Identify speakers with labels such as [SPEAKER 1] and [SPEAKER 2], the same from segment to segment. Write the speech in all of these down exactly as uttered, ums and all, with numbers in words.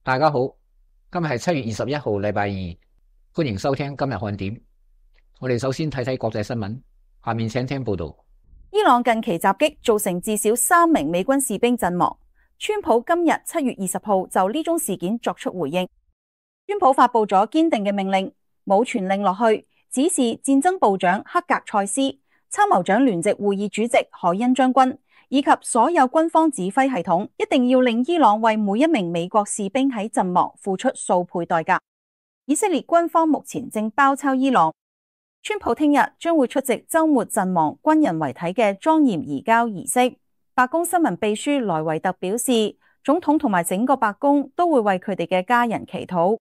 [SPEAKER 1] 大家好，今日係七月二十一號，禮拜二，歡迎收聽今日看點。我哋首先睇睇國際新聞，下面請聽報道。
[SPEAKER 2] 伊朗近期襲擊造成至少三名美軍士兵陣亡。川普今日七月二十號就呢宗事件作出回應。川普發佈咗堅定嘅命令，冇傳令落去，指示戰爭部長克格塞斯、參謀長聯席會議主席海恩將軍以及所有軍方指揮系統一定要令伊朗為每一名美國士兵喺陣亡付出數倍代價。以色列軍方目前正包抄伊朗。川普聽日將會出席週末陣亡軍人遺體嘅莊嚴移交儀式。白宮新聞秘書萊維特表示，總統同埋整個白宮都會為佢哋嘅家人祈禱。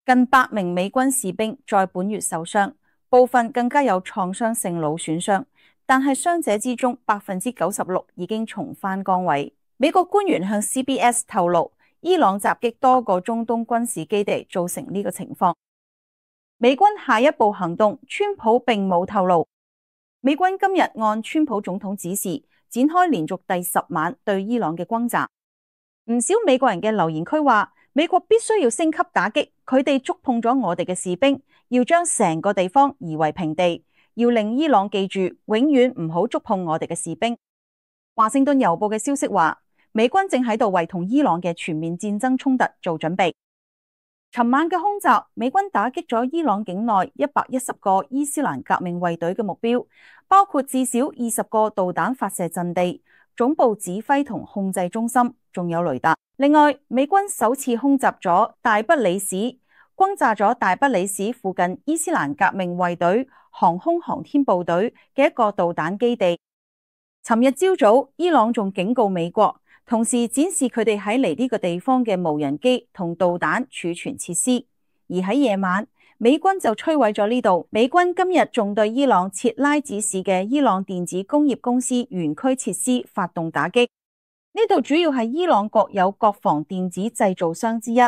[SPEAKER 2] 近百名美軍士兵在本月受傷，部分更加有創傷性腦損傷，但係傷者之中百分之九十六已經重返崗位。美國官員向 C B S 透露，伊朗襲擊多個中東軍事基地造成呢個情況。美軍下一步行動，川普並冇透露。美軍今日按川普總統指示，展開連續第十晚對伊朗嘅轟炸。唔少美國人嘅留言區話，美國必須要升級打擊，佢哋觸碰咗我哋嘅士兵，要將成個地方夷為平地，要令伊朗記住，永遠唔好觸碰我哋嘅士兵。華盛頓郵報嘅消息話，美軍正喺度為同伊朗嘅全面戰爭衝突做準備。尋晚嘅空襲，美軍打擊咗伊朗境內一百一十個伊斯蘭革命衛隊嘅目標，包括至少二十個導彈發射陣地、總部指揮同控制中心，仲有雷達。另外，美軍首次空襲咗大不里士，轟炸咗大不里士附近伊斯蘭革命衛隊航空航天部隊嘅一個導彈基地。尋日朝早，伊朗仲警告美國，同時展示佢哋喺嚟呢個地方嘅無人機同導彈儲存設施。而喺夜晚，美軍就摧毀咗呢度。美軍今日仲對伊朗切拉子市嘅伊朗電子工業公司園區設施發動打擊。呢度主要係伊朗國有國防電子製造商之一，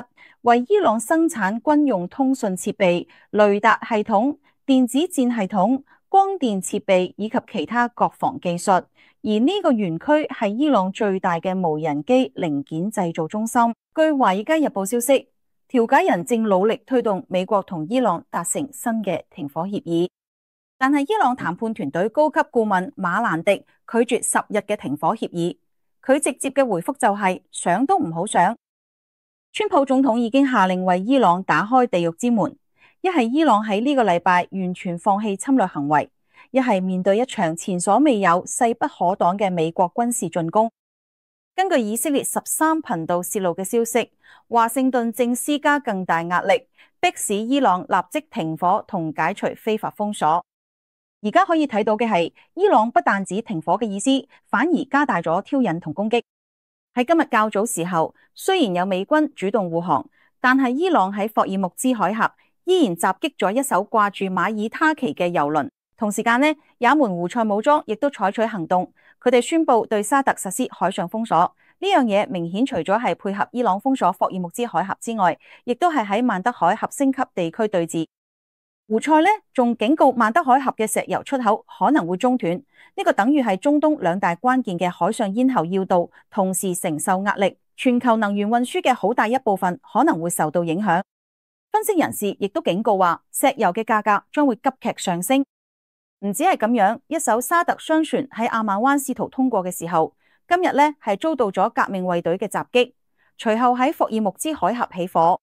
[SPEAKER 2] 為伊朗生產軍用通訊設備、雷達系統、電子戰系統、光電設備以及其他國防技術。而呢個園區係伊朗最大嘅無人機零件製造中心。據華爾街日報消息，調解人正努力推動美國同伊朗達成新嘅停火協議，但係伊朗談判團隊高級顧問馬蘭迪拒絕十日嘅停火協議。佢直接嘅回覆就係、是、想都唔好想。川普總統已經下令為伊朗打開地獄之門，一係伊朗喺呢個禮拜完全放棄侵略行為，一係面對一場前所未有、勢不可擋嘅美國軍事進攻。根據以色列十三頻道洩露嘅消息，華盛頓正施加更大壓力，迫使伊朗立即停火同解除非法封鎖。而家可以睇到嘅係，伊朗不但止停火嘅意思，反而加大咗挑釁同攻擊。喺今日較早時候，雖然有美軍主動護航，但係伊朗喺霍爾木茲海峽依然襲擊咗一艘掛住馬爾他旗嘅油輪。同時間呢，也門胡塞武裝亦都採取行動，佢哋宣布對沙特實施海上封鎖。呢樣嘢明顯除咗係配合伊朗封鎖霍爾木茲海峽之外，亦都係喺曼德海峽升級地區對峙。胡塞呢仲警告曼德海峽嘅石油出口可能會中斷，呢個等於係中東兩大關鍵嘅海上咽喉要道同時承受壓力，全球能源運輸嘅好大一部分可能會受到影響。分析人士亦都警告話，石油嘅價格將會急劇上升。唔止係咁樣，一艘沙特商船喺阿曼灣試圖通過嘅時候，今日呢係遭到咗革命衛隊嘅襲擊，隨後喺霍爾木茲海峽起火。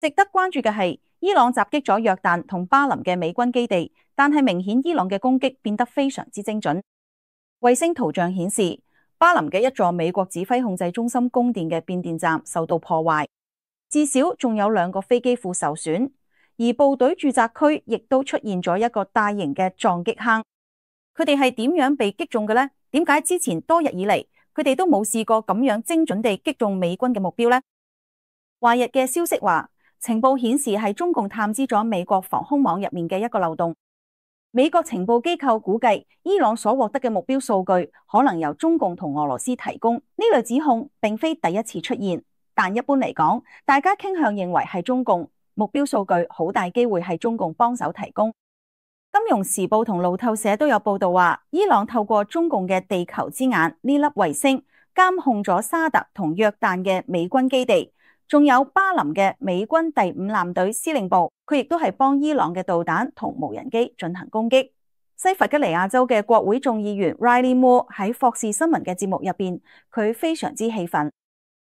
[SPEAKER 2] 值得關注嘅係，伊朗襲擊咗約旦同巴林嘅美軍基地，但係明顯伊朗嘅攻擊變得非常之精準。衛星圖像顯示，巴林嘅一座美國指揮控制中心供電嘅變電站受到破壞，至少仲有兩個飛機庫受損，而部隊駐紮區亦都出現咗一個大型嘅撞擊坑。佢哋係點樣被擊中嘅呢？點解之前多日以嚟佢哋都冇試過咁樣精準地擊中美軍嘅目標呢？華日嘅消息話，情報顯示係中共探知咗美國防空網入面嘅一個漏洞。美國情報機構估計，伊朗所獲得嘅目標數據可能由中共同俄羅斯提供。呢類指控並非第一次出現，但一般嚟講，大家傾向認為係中共目標數據，好大機會係中共幫手提供。金融時報同路透社都有報道話，伊朗透過中共嘅地球之眼呢粒衛星監控咗沙特同約旦嘅美軍基地，仲有巴林嘅美軍第五艦隊司令部，佢亦都係幫伊朗嘅導彈同無人機進行攻擊。西弗吉尼亞州嘅國會眾議員 Riley Moore 喺霍士新聞嘅節目入邊，佢非常之氣憤。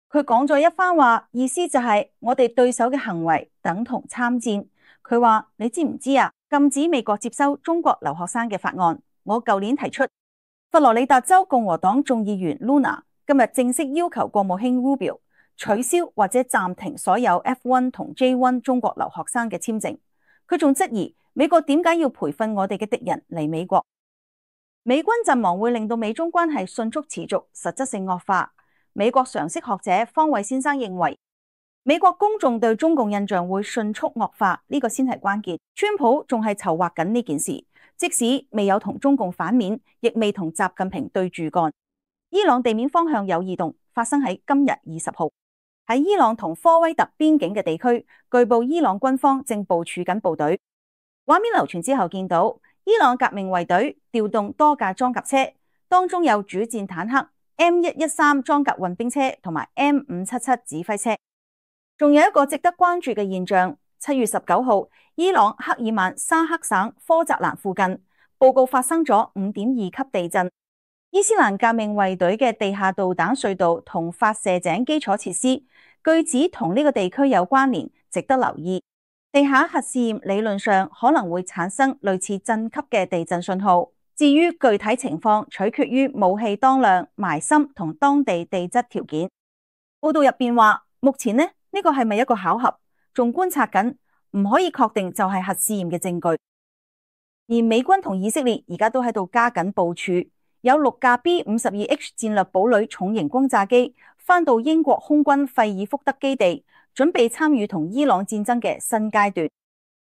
[SPEAKER 2] 佢講咗一番話，意思就係我哋對手嘅行為等同參戰。佢話：你知唔知啊？禁止美國接收中國留學生嘅法案，我舊年提出。佛羅里達州共和黨眾議員 Luna 今日正式要求國務卿 Rubio 取消或者暫停所有 F 一 同 J 一 中國留學生嘅簽證。佢仲質疑美國點解要培訓我哋嘅敵人嚟美國？美軍陣亡會令到美中關係迅速持續實質性惡化。美國常識學者方偉先生認為，美國公眾對中共印象會迅速惡化，呢個先係關鍵。川普仲係籌劃緊呢件事，即使未有同中共反面，亦未同習近平對住幹。伊朗地面方向有異動，發生喺今日二十號，喺伊朗同科威特邊境嘅地區，據報伊朗軍方正部署緊部隊。畫面流傳之後，見到伊朗革命衛隊調動多架裝甲車，當中有主戰坦克 M 一一三裝甲運兵車同埋 M 五七七指揮車。仲有一個值得關注嘅現象，七月十九號，伊朗克爾曼沙克省科澤蘭附近報告發生咗五點二級地震。伊斯蘭革命衛隊嘅地下導彈隧道同發射井基礎設施，據指同呢個地區有關聯，值得留意。地下核試驗理論上可能會產生類似震級嘅地震信號。至於具體情況，取決於武器當量、埋深同當地地質條件。報道入邊話，目前呢呢、呢個係咪一個巧合，仲觀察緊，唔可以確定就係核試驗嘅證據。而美軍同以色列而家都喺度加緊部署，有六架 B 五十二 H 戰略堡壘重型轟炸機翻到英國空軍費爾福德基地，準備參與同伊朗戰爭嘅新階段。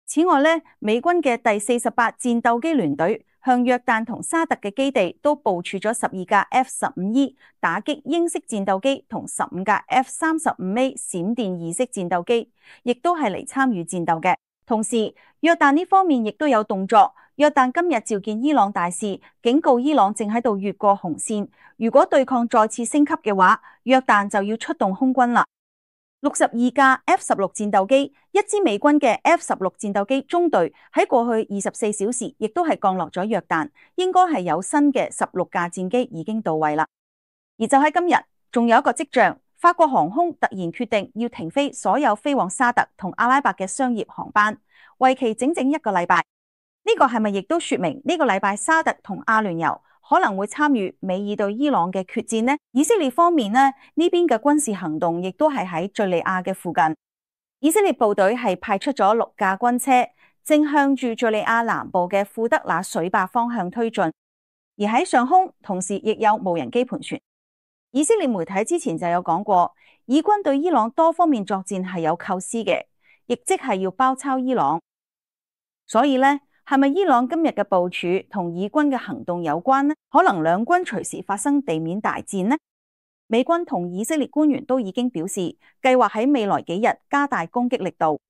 [SPEAKER 2] 此外呢，美軍嘅第四十八戰鬥機聯隊向約旦同沙特嘅基地都部署咗十二架 F 十五 E 打擊鷹式戰鬥機同十五架 F 三十五 A 閃電二式戰鬥機，亦都係嚟參與戰鬥嘅。同時，約旦呢方面亦都有動作。約旦今日召見伊朗大使，警告伊朗正喺度越過紅線，如果對抗再次升級嘅話，約旦就要出動空軍啦。六十二架 F 十六戰鬥機，一支美軍嘅 F 十六戰鬥機中隊喺過去二十四小時亦都係降落咗約旦，應該係有新嘅十六架戰機已經到位啦。而就喺今日，仲有一個跡象，法國航空突然決定要停飛所有飛往沙特同阿拉伯嘅商業航班，為期整整一個禮拜。呢個係咪亦都說明呢個禮拜沙特同阿聯酋可能會參與美伊對伊朗嘅決戰呢？以色列方面呢，呢邊嘅軍事行動亦都係喺敘利亞嘅附近。以色列部隊係派出咗六架軍車，正向住敘利亞南部嘅庫德那水壩方向推進。而喺上空，同時亦有無人機盤旋。以色列媒體之前就有講過，以軍對伊朗多方面作戰係有構思嘅，亦即係要包抄伊朗。所以呢，係咪伊朗今日嘅部署同以軍嘅行動有關呢？可能兩軍隨時發生地面大戰呢？美軍同以色列官員都已經表示，計劃喺未來幾日加大攻擊力度。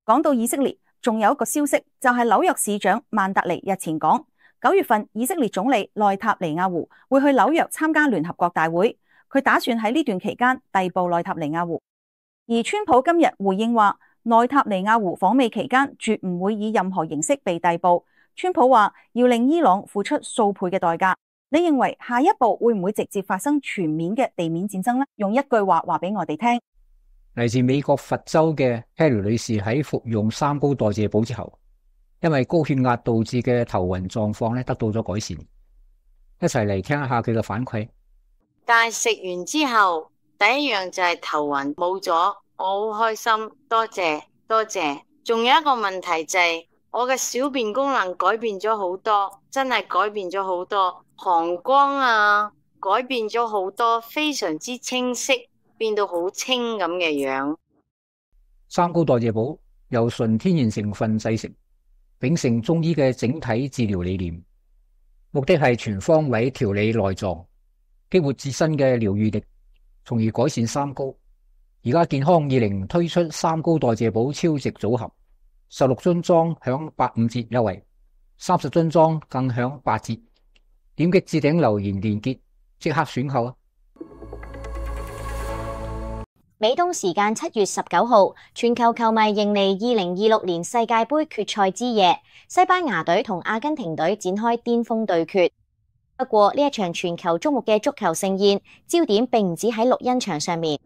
[SPEAKER 2] 講到以色列，仲有一個消息，就係紐約市長曼達尼日前講，九月份以色列總理內塔尼亞胡會去紐約參加聯合國大會，佢打算喺呢段期間逮捕內塔尼亞胡。而川普今日回應話，內塔尼亞胡訪美期間絕唔會以任何形式被逮捕。川普話要令伊朗付出數倍嘅代價。你認為下一步會唔會直接發生全面嘅地面戰爭呢？用一句話話俾我哋聽。
[SPEAKER 1] 嚟自美國佛州嘅 Harry 女士喺服用三高代謝寶之後，因為高血壓導致嘅頭暈狀況咧得到咗改善。一齊嚟聽一下佢嘅反饋。
[SPEAKER 3] 但係食完之後，第一樣就係頭暈冇咗，我好開心，多謝多謝。仲有一個問題就係、是、我嘅小便功能改變咗好多，真係改變咗好多，膀胱啊改變咗好多，非常之清晰，變到好清咁嘅樣。
[SPEAKER 1] 三高代謝寶由純天然成分製成，秉承中醫嘅整體治療理念，目的係全方位調理內臟，激活自身嘅療癒力，從而改善三高。而家健康二零推出三高代謝寶超值組合，十六樽裝享八五折優惠，三十樽裝更享八折。點擊置頂留言連結，即刻選購啊！
[SPEAKER 4] 美東時間七月十九號，全球球迷迎嚟二零二六年世界盃決賽之夜，西班牙隊同阿根廷隊展開巔峰對決。不過呢一場全球矚目嘅足球盛宴，焦點並唔止喺錄音場上面。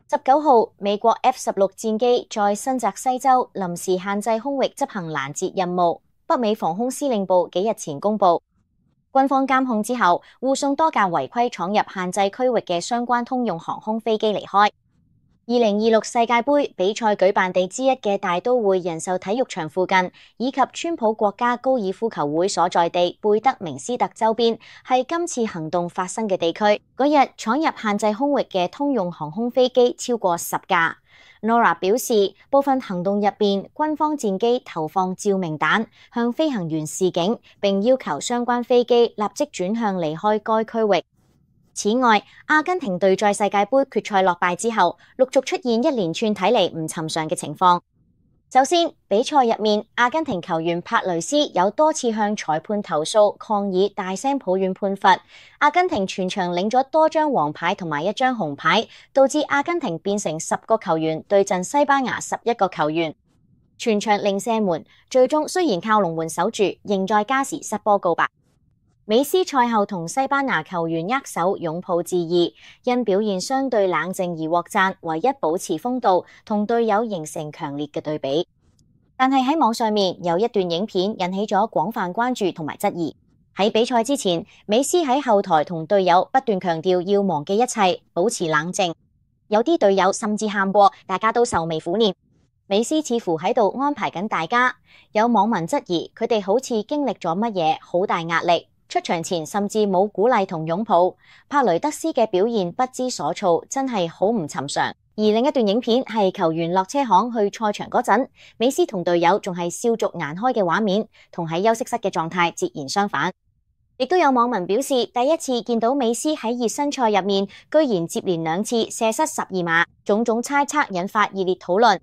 [SPEAKER 4] 十九號，美國 F 十六戰機在新澤西州臨時限制空域執行攔截任務。北美防空司令部幾日前公布，軍方監控之後，護送多架違規闖入限制區域嘅相關通用航空飛機離開。二零二六世界盃比賽舉辦地之一嘅大都會人壽體育場附近，以及川普國家高爾夫球會所在地貝德明斯特周邊，係今次行動發生嘅地區。嗰日闖入限制空域嘅通用航空飛機超過十架。Nora 表示，部分行動入邊，軍方戰機投放照明彈向飛行員示警，並要求相關飛機立即轉向離開該區域。此外，阿根廷隊在世界盃決賽落敗之後，陸續出現一連串睇嚟唔尋常嘅情況。首先，比賽入面，阿根廷球員帕雷斯有多次向裁判投訴抗議，大聲抱怨判罰。阿根廷全場領咗多張黃牌同埋一張紅牌，導致阿根廷變成十個球員對陣西班牙十一個球員，全場零射門。最終雖然靠龍門守住，仍在加時失波告白。美斯賽後同西班牙球員握手擁抱致意，因表現相對冷靜而獲讚，唯一保持風度，同隊友形成強烈嘅對比。但係喺網上面有一段影片引起咗廣泛關注同埋質疑。喺比賽之前，美斯喺後台同隊友不斷強調要忘記一切，保持冷靜。有啲隊友甚至喊過，大家都愁眉苦臉。美斯似乎喺度安排緊大家。有網民質疑佢哋好似經歷咗乜嘢好大壓力。出場前甚至冇鼓勵同擁抱，帕雷德斯嘅表現不知所措，真係好唔尋常。而另一段影片係球員落車行去賽場嗰陣，美斯同隊友仲係笑逐顏開嘅畫面，同喺休息室嘅狀態截然相反。亦都有網民表示，第一次見到美斯喺熱身賽入面，居然接連兩次射失十二碼，種種猜測引發熱烈討論。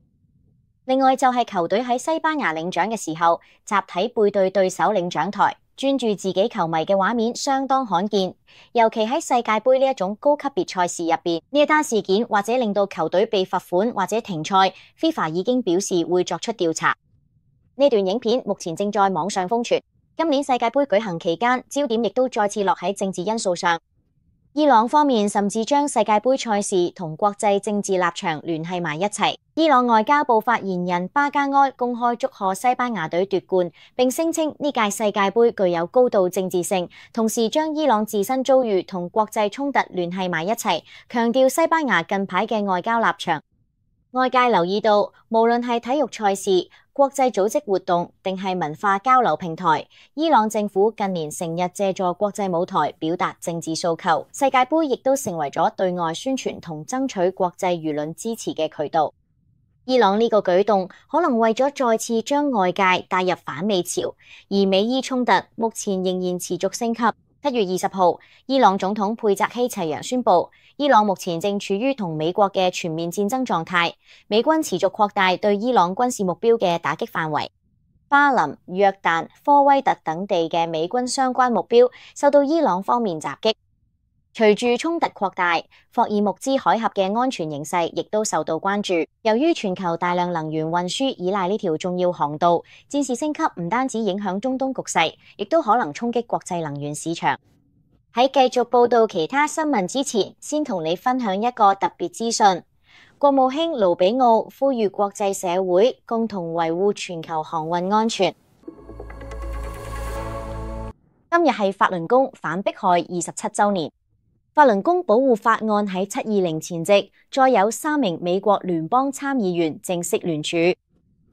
[SPEAKER 4] 另外就係球隊喺西班牙領獎嘅時候，集體背對對手領獎台，專注自己球迷嘅畫面相當罕見，尤其喺世界盃呢一種高級別賽事入邊，呢一單事件或者令到球隊被罰款或者停賽 ，FIFA 已經表示會作出調查。呢段影片目前正在網上瘋傳。今年世界盃舉行期間，焦點亦都再次落喺政治因素上。伊朗方面甚至將世界盃賽事同國際政治立場聯繫埋一齊。伊朗外交部發言人巴加埃公開祝賀西班牙隊奪冠，並聲稱呢屆世界盃具有高度政治性，同時將伊朗自身遭遇同國際衝突聯繫埋一齊，強調西班牙近排嘅外交立場。外界留意到，無論係體育賽事、國際組織活動定係文化交流平台，伊朗政府近年成日借助國際舞台表達政治訴求，世界盃亦都成為咗對外宣傳同爭取國際輿論支持嘅渠道。伊朗呢個舉動可能為咗再次將外界帶入反美潮，而美伊衝突目前仍然持續升級。七月二十號，伊朗總統佩澤希齊揚宣布，伊朗目前正處於同美國嘅全面戰爭狀態，美軍持續擴大對伊朗軍事目標嘅打擊範圍。巴林、約旦、科威特等地嘅美軍相關目標受到伊朗方面襲擊。隨住衝突擴大，霍爾木茲海峽嘅安全形勢亦都受到關注。由於全球大量能源運輸依賴呢條重要航道，戰事升級唔單止影響中東局勢，亦都可能衝擊國際能源市場。喺繼續報道其他新聞之前，先同你分享一個特別資訊。國務卿盧比奧呼籲國際社會共同維護全球航運安全。今日係法輪功反迫害二十七週年。法輪功保護法案喺七二零前夕，再有三名美國聯邦參議員正式聯署。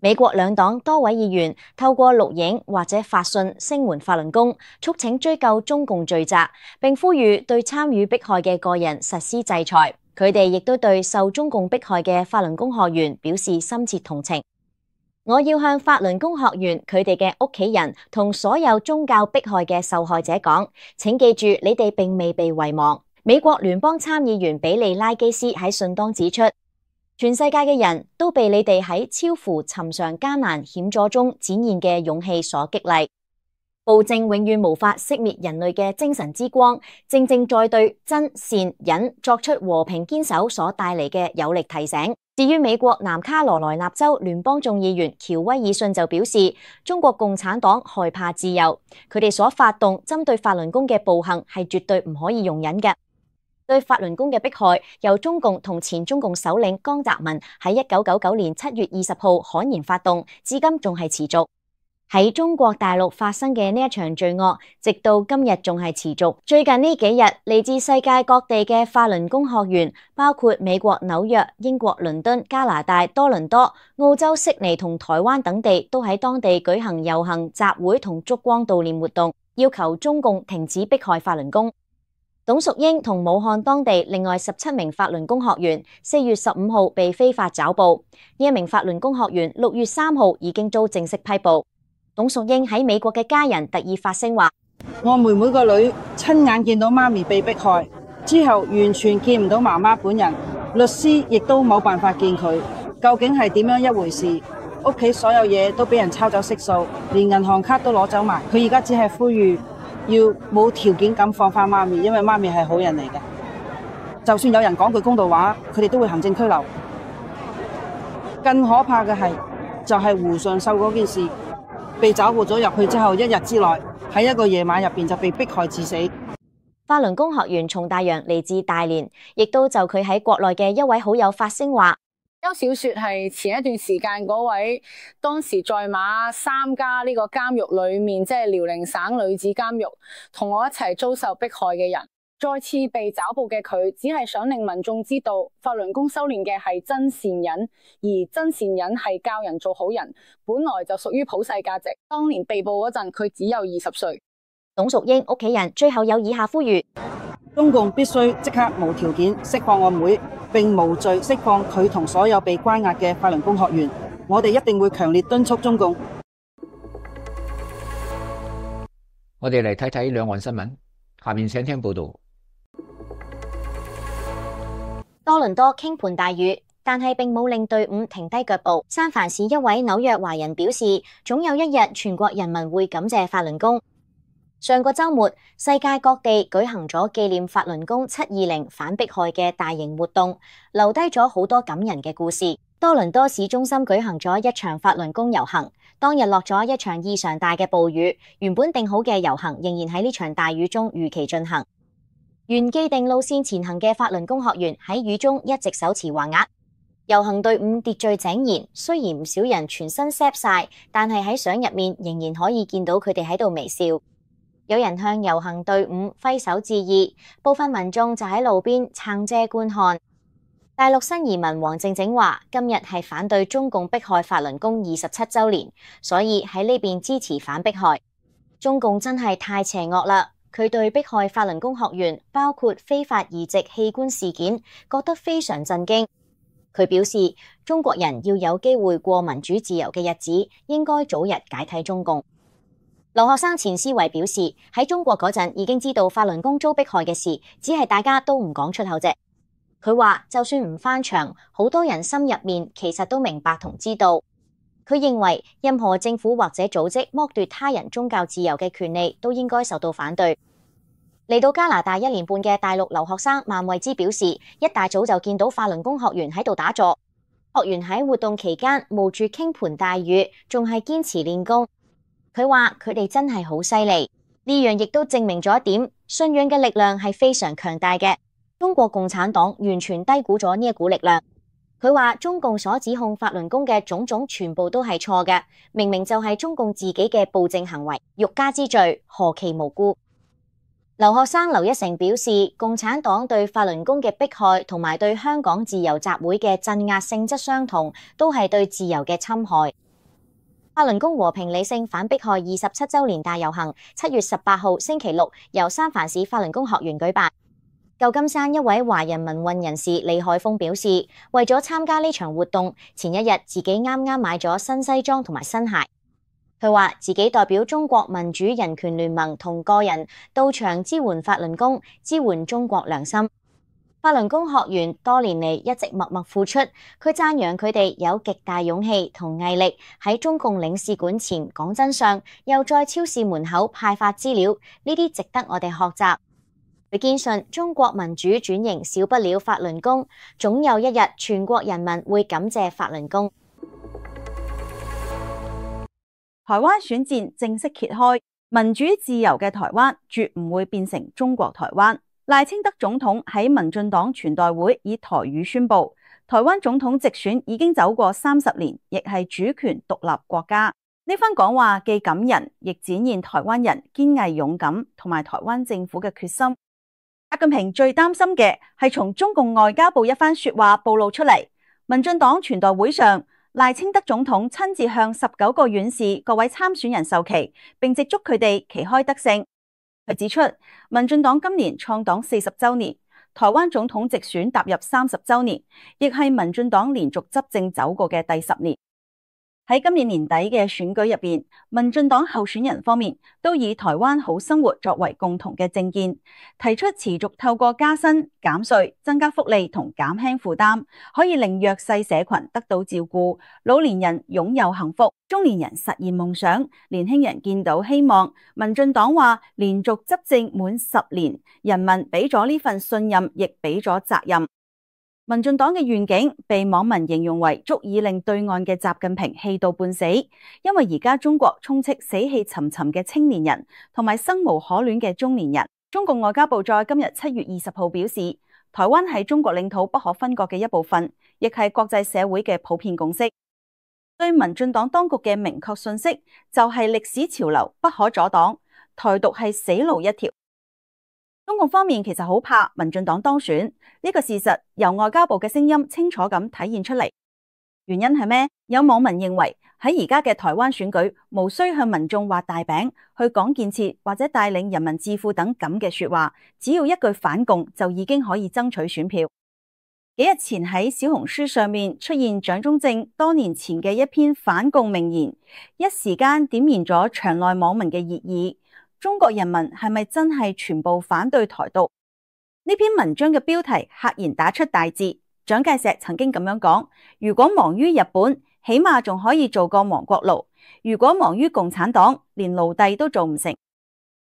[SPEAKER 4] 美國兩黨多位議員透過錄影或者發信聲援法輪功，促請追究中共罪責，並呼籲對參與迫害嘅個人實施制裁。佢哋亦都對受中共迫害嘅法輪功學員表示深切同情。我要向法輪功學員、佢哋嘅屋企人同所有宗教迫害嘅受害者講，請記住，你哋並未被遺忘。美國聯邦參議員比利拉基斯喺信當指出，全世界嘅人都被你哋喺超乎尋常艱難險阻中展現嘅勇氣所激勵。暴政永遠無法熄滅人類嘅精神之光，正正在對真善忍作出和平堅守所帶嚟嘅有力提醒。至於美國南卡羅來納州聯邦眾議員喬威爾遜就表示，中國共產黨害怕自由，佢哋所發動針對法輪功嘅暴行係絕對唔可以容忍嘅。對法輪功嘅迫害，由中共同前中共首領江澤民喺一九九九年七月二十號悍然發動，至今仲係持續。喺中國大陸發生嘅呢一場罪惡，直到今日仲係持續。最近呢幾日，嚟自世界各地嘅法輪功學員，包括美國紐約、英國倫敦、加拿大多倫多、澳洲悉尼同台灣等地，都喺當地舉行遊行、集會同燭光悼念活動，要求中共停止迫害法輪功。董淑英同武漢當地另外十七名法輪功學員，四月十五號被非法抓捕。呢一名法輪功學員六月三號已經遭正式批捕。董淑英喺美國嘅家人特意發聲話：
[SPEAKER 5] 我妹妹個女親眼見到媽咪被迫害之後，完全見唔到媽媽本人，律師亦都冇辦法見佢，究竟係點樣一回事？屋企所有嘢都俾人抄走息數，連銀行卡都攞走埋。佢而家只係呼籲要冇條件咁放翻媽咪，因為媽咪係好人嚟嘅。就算有人講句公道話，佢哋都會行政拘留。更可怕嘅係，就係胡上秀嗰件事。被抓捕咗入去之後，一日之內喺一個夜晚入邊就被迫害致死。
[SPEAKER 4] 法輪功學員從大洋嚟自大連，亦都就佢喺國內嘅一位好友發聲話：
[SPEAKER 6] 邱小雪係前一段時間嗰位當時在馬三家呢個監獄裏面，即係遼寧省女子監獄，同我一齊遭受迫害嘅人。再次被抓捕嘅佢，只係想令民眾知道，法輪功修煉嘅係真善忍，而真善忍係教人做好人，本來就屬於普世價值。當年被捕嗰陣，佢只有二十歲。
[SPEAKER 4] 董淑英屋企人最後有以下呼籲：
[SPEAKER 5] 中共必須即刻無條件釋放我妹，並無罪釋放佢同所有被關押嘅法輪功學員。我哋一定會強烈敦促中共。
[SPEAKER 1] 我哋嚟睇睇兩岸新聞，下面請聽報道。
[SPEAKER 4] 多倫多傾盆大雨，但係並冇令隊伍停低腳步。三藩市一位紐約華人表示，總有一日全國人民會感謝法輪功。上個週末，世界各地舉行咗紀念法輪功七二零反迫害嘅大型活動，留低咗好多感人嘅故事。多倫多市中心舉行咗一場法輪功遊行，當日落咗一場異常大嘅暴雨，原本定好嘅遊行仍然喺呢場大雨中如期進行。原既定路線前行嘅法輪功學員喺雨中一直手持橫額，遊行隊伍秩序井然。雖然唔少人全身濕晒，但係喺相入面仍然可以見到佢哋喺度微笑。有人向遊行隊伍揮手致意，部分民眾就喺路邊撐遮觀看。大陸新移民黃靜靜話：今日係反對中共迫害法輪功二十七週年，所以喺呢邊支持反迫害。中共真係太邪惡啦！佢對迫害法輪功學員，包括非法移植器官事件，覺得非常震驚。佢表示，中國人要有機會過民主自由嘅日子，應該早日解體中共。留學生錢思維表示，喺中國嗰陣已經知道法輪功遭迫害嘅事，只係大家都唔講出口啫。佢話，就算唔翻牆，好多人心入面其實都明白同知道。佢認為任何政府或者組織剝奪他人宗教自由嘅權利都應該受到反對。嚟到加拿大一年半嘅大陸留學生萬惠之表示，一大早就見到法輪功學員喺度打坐，學員喺活動期間冒住傾盆大雨，仲係堅持練功。佢話佢哋真係好犀利，呢樣亦都證明咗一點，信仰嘅力量係非常強大嘅。中國共產黨完全低估咗呢一股力量。佢話中共所指控法輪功嘅種種全部都係錯嘅，明明就係中共自己嘅暴政行為，欲加之罪，何其無辜。留學生劉一成表示，共產黨對法輪功嘅迫害同埋對香港自由集會嘅鎮壓性質相同，都係對自由嘅侵害。法輪功和平理性反迫害二十七週年大遊行，七月十八號星期六由三藩市法輪功學員舉辦。舊金山一位華人民運人士李海峰表示，為咗參加呢場活動，前一日自己啱啱買咗新西裝同埋新鞋。佢話自己代表中國民主人權聯盟同個人到場支援法輪功，支援中國良心。法輪功學員多年嚟一直默默付出，佢讚揚佢哋有極大勇氣同毅力喺中共領事館前講真相，又在超市門口派發資料，呢啲值得我哋學習。佢堅信中國民主轉型少不了法輪功，總有一日全國人民會感謝法輪功。
[SPEAKER 2] 台灣選戰正式揭開，民主自由嘅台灣絕唔會變成中國台灣。賴清德總統喺民進黨全代會以台語宣布，台灣總統直選已經走過三十年，亦係主權獨立國家。呢番講話既感人，亦展現台灣人堅毅勇敢同埋台灣政府嘅決心。習近平最擔心嘅係從中共外交部一番說話暴露出嚟。民進黨全代會上，賴清德總統親自向十九個縣市各位參選人授旗，並直祝佢哋旗開得勝。佢指出，民進黨今年創黨四十週年，台灣總統直選踏入三十週年，亦係民進黨連續執政走過嘅第十年。喺今年年底嘅選舉入邊，民進黨候選人方面都以台灣好生活作為共同嘅政見，提出持續透過加薪、減稅、增加福利同減輕負擔，可以令弱勢社群得到照顧，老年人擁有幸福，中年人實現夢想，年輕人見到希望。民進黨話，連續執政滿十年，人民俾咗呢份信任，亦俾咗責任。民進黨嘅願景被網民形容為足以令對岸嘅習近平氣到半死，因為而家中國充斥死氣沉沉嘅青年人同埋生無可戀嘅中年人。中共外交部在今日七月二十號表示，台灣係中國領土不可分割嘅一部分，亦係國際社會嘅普遍共識。對民進黨當局嘅明確信息就係歷史潮流不可阻擋，台獨係死路一條。中共方面其實好怕民進黨當選，呢個事實由外交部嘅聲音清楚咁體現出嚟。原因係咩？有網民認為喺而家嘅台灣選舉，無需向民眾畫大餅，去講建設或者帶領人民致富等咁嘅說話，只要一句反共就已經可以爭取選票。幾日前喺小紅書上面出現蔣中正多年前嘅一篇反共名言，一時間點燃咗場內網民嘅熱議。中國人民係咪真係全部反對台獨？呢篇文章嘅標題赫然打出大字。蔣介石曾經咁樣講：如果亡於日本，起碼仲可以做個亡國奴；如果亡於共產黨，連奴隸都做唔成。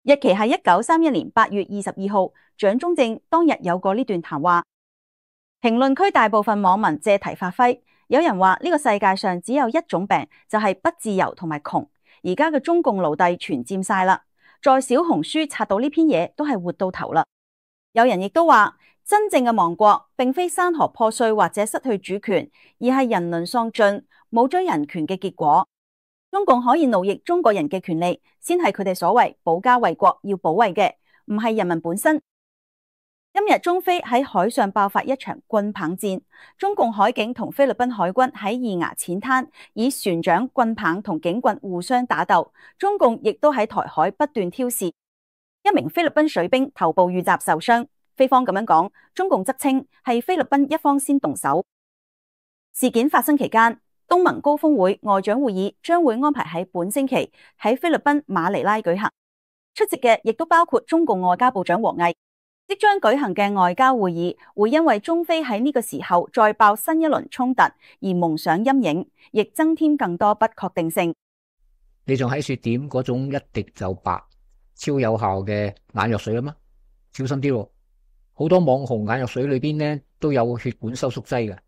[SPEAKER 2] 日期係一九三一年八月二十二號，蔣中正當日有過呢段談話。評論區大部分網民借題發揮，有人話呢個世界上只有一種病，就係不自由同埋窮。而家嘅中共奴隸全佔晒啦。在小紅書刷到呢篇嘢都係活到頭啦。有人亦都話，真正嘅亡國並非山河破碎或者失去主權，而係人倫喪盡，冇咗人權嘅結果。中共可以奴役中國人嘅權利，先係佢哋所謂保家衛國要保衛嘅，唔係人民本身。今日中菲喺海上爆發一場棍棒戰，中共海警同菲律賓海軍喺二牙淺灘以船長、棍棒同警棍互相打鬥，中共亦都喺台海不斷挑事。一名菲律賓水兵頭部遇襲受傷，菲方咁樣講，中共則稱係菲律賓一方先動手。事件發生期間，東盟高峰會外長會議將會安排喺本星期喺菲律賓馬尼拉舉行，出席嘅亦都包括中共外交部長王毅。即將舉行嘅外交會議會因為中菲喺呢個時候再爆新一輪衝突而蒙上陰影，亦增添更多不確定性。
[SPEAKER 1] 你仲喺說點嗰種一滴就白、超有效嘅眼藥水啊嘛？小心啲喎，好多網紅眼藥水裏邊咧都有血管收縮劑嘅，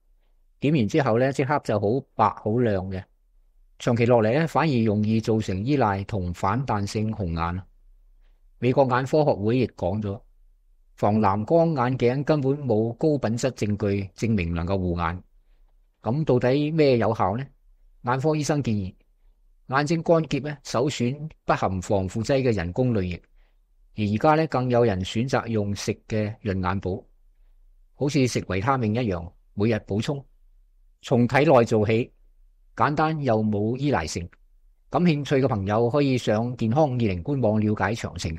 [SPEAKER 1] 點完之後咧即刻就好白好亮嘅，長期落嚟咧反而容易造成依賴同反彈性紅眼。美國眼科學會亦講咗，防藍光眼鏡根本冇高品質證據證明能夠護眼。咁到底咩有效呢？眼科醫生建議眼睛乾澀咧首選不含防腐劑嘅人工淚液，而而家咧更有人選擇用食嘅潤眼寶，好似食維他命一樣，每日補充，從體內做起，簡單又冇依賴性。感興趣嘅朋友可以上健康二零官網了解詳情。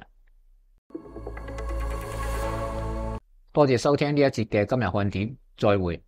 [SPEAKER 1] 多謝收聽呢一節嘅今日看點，再會。